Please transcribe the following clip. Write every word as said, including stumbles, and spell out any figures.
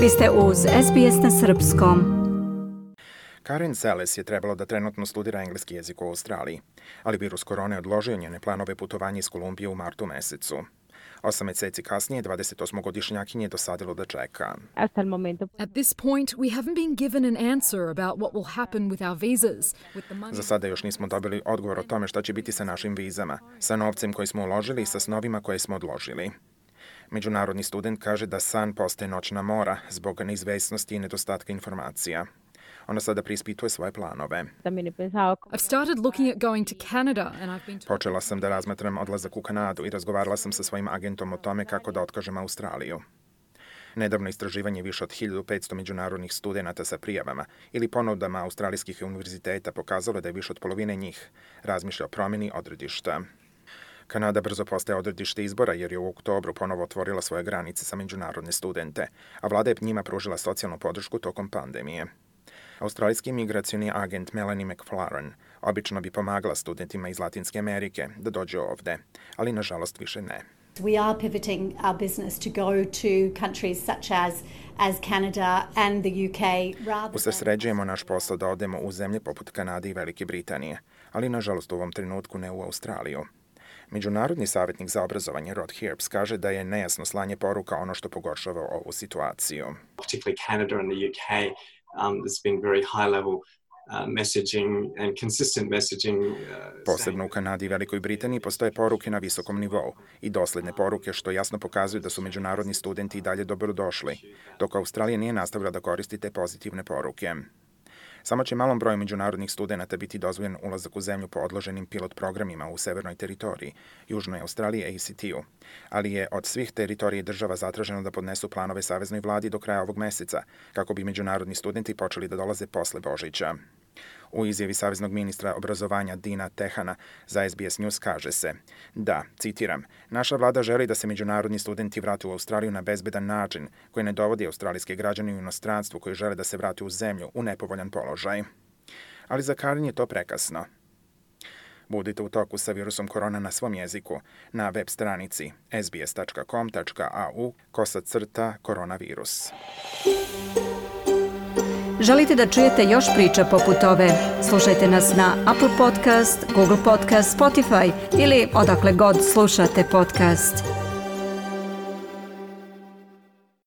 Vi ste uz S B S na srpskom. Karen Seles je trebalo da trenutno studira engleski jezik u Australiji, ali virus korone odložio njene planove putovanja iz Kolumbije u martu mesecu. Osam meseci kasnije, dvadesetosmogodišnjakinji je dosadilo da čeka. At this point, we haven't been given an answer about what will happen with our visas. Za sada još nismo dobili odgovor o tome šta će biti sa našim vizama, sa novcem koji smo uložili i sa snovima koje smo odložili. Međunarodni student kaže da san postaje noćna mora zbog neizvesnosti i nedostatka informacija. Ona sada preispituje svoje planove. I've started looking at going to Canada and I've been Počela sam da razmatram odlazak u Kanadu i razgovarala sam sa svojim agentom o tome kako da otkažem Australiju. Nedavno istraživanje više od hiljadu petsto međunarodnih studenata sa prijavama ili ponudama australijskih univerziteta pokazalo da je više od polovine njih razmišlja o promjeni odredišta. Kanada brzo postaje odredište izbora jer je u oktobru ponovo otvorila svoje granice za međunarodne studente, a vlada je njima pružila socijalnu podršku tokom pandemije. Australijski migracioni agent Melanie McFarlane obično bi pomagala studentima iz Latinske Amerike da dođu ovde, ali nažalost više ne. We are pivoting our business to go to countries such as as Canada and the U K rather Usređujemo naš posao da odemo u zemlje poput Kanade i Velike Britanije, ali nažalost u ovom trenutku ne u Australiju. Međunarodni savjetnik za obrazovanje Rod Herbs kaže da je nejasno slanje poruka ono što pogoršava ovu situaciju. Particularly Canada and the U K, um, there's been very high level uh, messaging and consistent messaging. Uh, Posebno u Kanadi i Velikoj Britaniji postoje poruke na visokom nivou i dosledne poruke što jasno pokazuju da su međunarodni studenti i dalje dobrodošli, dok Australija nije nastavila da koristi te pozitivne poruke. Samo će malom broju međunarodnih studenata biti dozvoljen ulazak u zemlju po odloženim pilot programima u severnoj teritoriji, Južnoj Australiji A C T-u, ali je od svih teritorija država zatraženo da podnesu planove saveznoj vladi do kraja ovog meseca, kako bi međunarodni studenti počeli da dolaze posle Božića. U izjavi saveznog ministra obrazovanja Dina Tehana za S B S News kaže se da, citiram, naša vlada želi da se međunarodni studenti vrate u Australiju na bezbedan način koji ne dovodi australijske građane u inostranstvu koji žele da se vrate u zemlju u nepovoljan položaj. Ali za Karen je to prekasno. Budite u toku sa virusom korona na svom jeziku na web stranici s b s tačka com tačka a u kosa crta koronavirus. Želite da čujete još priča poput ove? Slušajte nas na Apple Podcast, Google Podcast, Spotify ili odakle god slušate podcast.